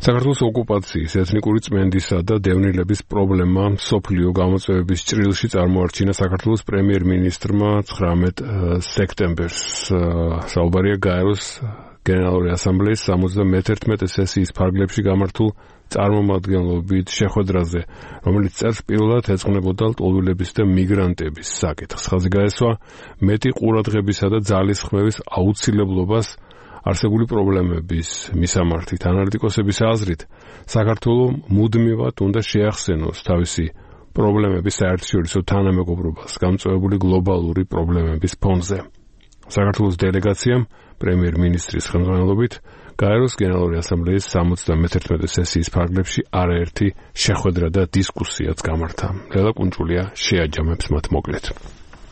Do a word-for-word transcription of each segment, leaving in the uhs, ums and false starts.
საქართველოს ოკუპაციის, ეთნიკური წმენდისა და დევნილების პრობლემა მსოფლიო გამოწვევების ჭრილში წარმოარჩინა საქართველოს პრემიერ-მინისტრმა ცხრამეტ სექტემბერს. საუბარია გაეროს გენერალური ასამბლეის სამოცდამეთერთმეტე სესიის ფარგლებში გამართულ წარმომადგენლობით შეხვედრაზე, რომელიც წერს პირველად ეძღვნებოდა ლტოლვილების და მიგრანტების საკითხს. ხაზი გაესვა მეტი ყურადღებისა და ძალისხმევის აუცილებლობას არსებული პრობლემების მისამართით. ანალიტიკოსების აზრით, საქართველო მუდმივად უნდა შეახსენოს თავისი პრობლემების საერთაშორისო თანამეგობრობას გამწვევებული გლობალური პრობლემების ფონზე. საქართველოს დელეგაციამ პრემიერ-მინისტრის ხელმძღვანელობით გაეროს გენერალური ასამბლეის სამოცდამეთერთმეტე სესიის ფარგლებში არაერთი შეხვედრა და დისკუსიაც გამართა. ლელა კუნჭულია შეაჯამებს მათ მოკლედ.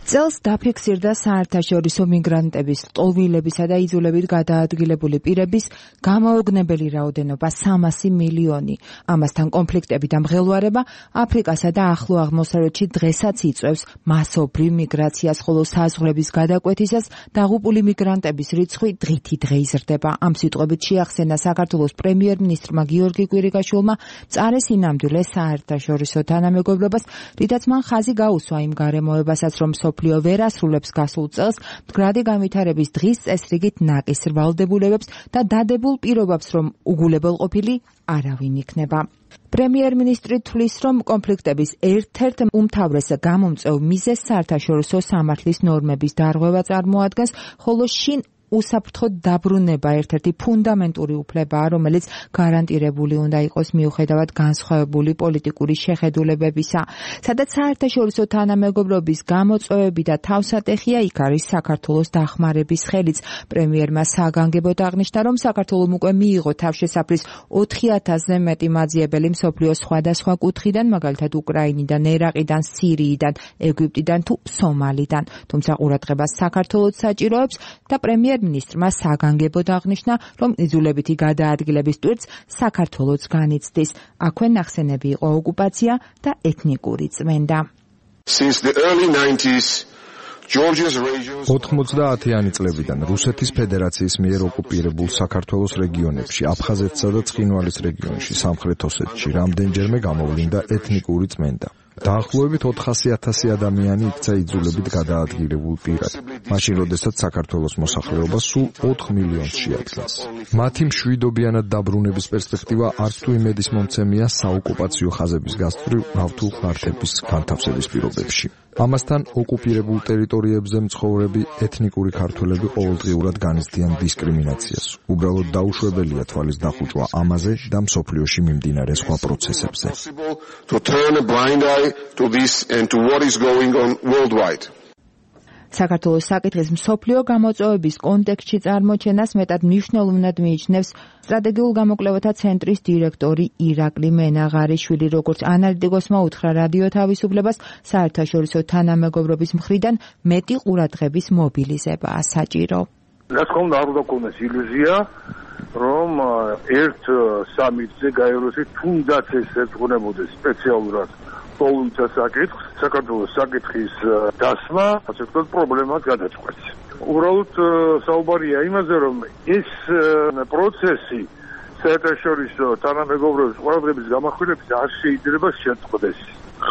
წელს დაფიქსირდა საერთაშორისო მიგრანტების, ლტოლვილებისა და იძულებით გადაადგილებული პირების გამაოგნებელი რაოდენობა სამასი მილიონი. ამასთან კონფლიქტები და მღელვარება აფრიკასა და ახლო აღმოსავლეთში დღესაც იწვევს მასობრივ მიგრაციას, ხოლო საზღვრების გადაკვეთისას დაღუპული მიგრანტების რიცხვი დღითი დღე იზრდება. ამ სიტყვებით შეახსენა საქართველოს პრემიერ-მინისტრმა გიორგი კვირიკაშვილმა მწარე სინამდვილე საერთაშორისო თანამეგობრობას, რითაც მან ხაზი გაუსვა იმ გარემოებასაც, რომ მსოფლიო ვერ ასრულებს გასულ წელს მდგრადი განვითარების დღის წესრიგით ნაკის ვალდებულებებს და დადებულ პირობებს, რომ უგულებელ ყოფილი არავინ იქნება. პრემიერ-მინისტრი თვლის, რომ კონფლიქტების ერთ-ერთ უმთავრეს გამომწვევ მიზეზს საერთაშორისო სამართლის ნორმების დარღვევა წარმოადგენს, ხოლო შინ უსაფრთხო დაბრუნება ერთ-ერთი ფუნდამენტური უფლებაა, რომელიც გარანტირებული უნდა იყოს მიუხედავად განსხვავებული პოლიტიკური შეხედულებებისა. სადაც საერთაშორისო თანამეგობრობის გამოწვევები და თავსატეხია, იქ არის საქართველოს დახმარების ხელიც. პრემიერმა საგანგებოდ აღნიშნა, რომ საქართველომ უკვე მიიღო თავშესაფრის ოთხი ათასზე მეტი მაძიებელი მსოფლიოს სხვადასხვა კუთხიდან, მაგალითად უკრაინიდან, ერაყიდან, სირიიდან, ეგვიპტიდან თუ სომალიდან. თუმცა ყურადღებას საქართველოს საჭიროებს და პრემიერ მინისტრმა საგანგებოდ აღნიშნა, რომ იძულებითი გადაადგილების ტვირთს საქართველოც განიცდის. აქვე ნახსენები იყო ოკუპაცია და ეთნიკური წმენდა. ოთხმოცდაათიანი წლებიდან რუსეთის ფედერაციის მიერ ოკუპირებულ საქართველოს რეგიონებში, აფხაზეთსა და ცხინვალის რეგიონში, სამხრეთ ოსეთში რამდენჯერმე გამოვლინდა ეთნიკური წმენდა. დაახლოებით ოთხასი ათასი ადამიანი იქცა იძულებით გადაადგილებულ პირად, მაშინ როდესაც საქართველოს მოსახლეობა სულ ოთხ მილიონს შეადგენს. მათი მშვიდობიანად დაბრუნების პერსპექტივა არც თუ იმედის მომცემია საოკუპაციო ხაზების გასწვრივ ნავთულ ხარჯების განთავსების პირობებში. ამასთან ოკუპირებულ ტერიტორიებზე მცხოვრები ეთნიკური ქართველები ყოველდღიურად განიცდიან დისკრიმინაციას. უბრალოდ დაუშვებელია თვალის დახუჭვა ამაზე და მსოფლიოში მიმდინარე სხვა პროცესებზე. to this and to what is going on worldwide. საქართველოს საკითხის მსოფლიო გამოწვევების კონტექსტში წარმოჩენას მეტად მნიშვნელოვნად მიიჩნევს სტრატეგიულ გამოკვლევათა ცენტრის დირექტორი ირაკლი მენაღარიშვილი, როგორც ანალიტიკოსმა უთხრა რადიო თავისუფლებას, საერთაშორისო თანამეგობრობის მხრიდან მეტი ყურადღების მობილიზებაა საჭირო. რაც ხომ არ უნდა გქონდეს ილუზია, რომ ერთ სამიტზე გაეროში თუნდაც ეს ეძღვნებოდეს სპეციალურად პოლიტიკა საკითხს, საქართველოს საკითხის დასმა, ასე ვთქვათ, პრობლემას გადაწყვეტს. უბრალოდ საუბარია იმაზე, რომ ეს პროცესი საერთაშორისო თანამეგობრობის ყურადღების გამახვილების არ შეიძლება შეწყდეს.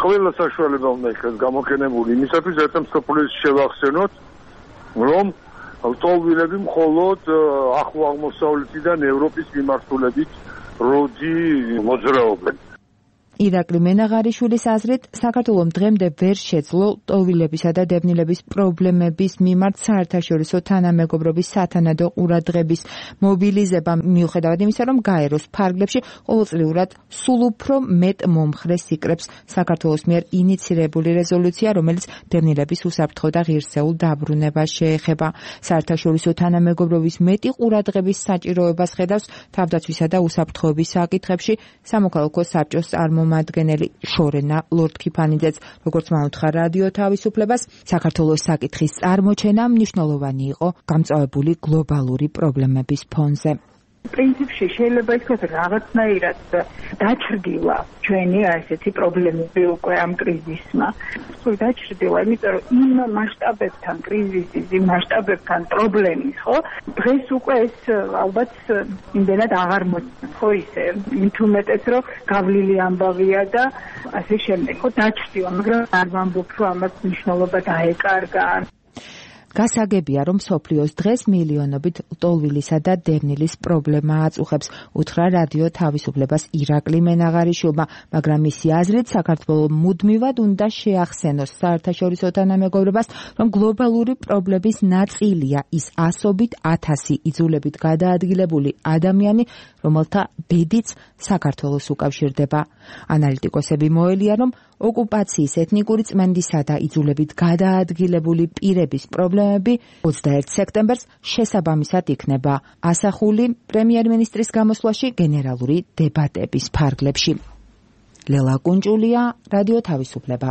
ყველა საშუალება უნდა იქნას გამოყენებული იმისათვის, რათა მსოფლიოს შევახსენოთ, რომ ლტოლვილები მხოლოდ ახლო აღმოსავლეთიდან ევროპის მიმართულებით როდი მოძრაობენ. ირაკლი მენაღარიშვილის აზრით, საქართველომ დღემდე ვერ შეძლო ლტოლვილებისა და დევნილების პრობლემების მიმართ საერთაშორისო თანამეგობრობის სათანადო ყურადღების მობილიზება, მიუხედავად იმისა, რომ გაეროს ფარგლებში ყოველწლიურად სულ უფრო მეტ მომხრეს იკრებს საქართველოს მიერ ინიცირებული რეზოლუცია, რომელიც დევნილების უსაფრთხო და ღირსეულ დაბრუნებას შეეხება. საერთაშორისო თანამეგობრობის მეტი ყურადღების საჭიროებას ხედავს თავდაცვისა და უსაფრთხოების საკითხებში სამოქალაქო საბჭოს წარმომადგენელი მადგენელი შორენა ლორდ-ქიფანიძეც, როგორც მოუთხა რადიო თავისუფლებას, საქართველოს საკითხის წარმოჩენა მნიშვნელოვანი იყო გამწვავებული გლობალური პრობლემების ფონზე. პრინციპში შეიძლება ითქვას რაღაცნაირად დაჩრდილა ჩვენი ასეთი პრობლემები უკვე ამ კრიზისმა. სულ დაჩრდილა, იმიტომ რომ იმ მასშტაბებთან კრიზისის, იმ მასშტაბებთან პრობლემის, ხო? დღეს უკვე ეს ალბათ იმდენად აღარ მოწმ, ხო ისე, მით უმეტეს რომ გავლილი ამბავია და ასე შემდეგ, ხო, დაჩრდილა, მაგრამ არ ვამბობ, რომ ამას მნიშვნელობა დაეკარგა. გასაგებია, რომ მსოფლიოს დღეს მილიონობით ლტოლვილისა და დევნილის პრობლემა აწუხებს, უთხრა რადიო თავისუფლებას ირაკლი მენაღარიშვილმა, მაგრამ მისი აზრით საქართველოს მუდმივად უნდა შეახსენოს საერთაშორისო თანამეგობრობას, რომ გლობალური პრობლემის ნაწილია ის ასობით ათასი იძულებით გადაადგილებული ადამიანი, რომელთა ბედიც საქართველოს უკავშირდება. ანალიტიკოსები მოელიან, რომ ოკუპაციის, ეთნიკური წმენდისა და იძულებით გადაადგილებული პირების პრობლემები ოცდაერთ სექტემბერს შესაბამისად იქნება ასახული პრემიერ-მინისტრის გამოსვლაში გენერალური დებატების ფარგლებში. ლელა კუნჭულია, რადიო თავისუფლება.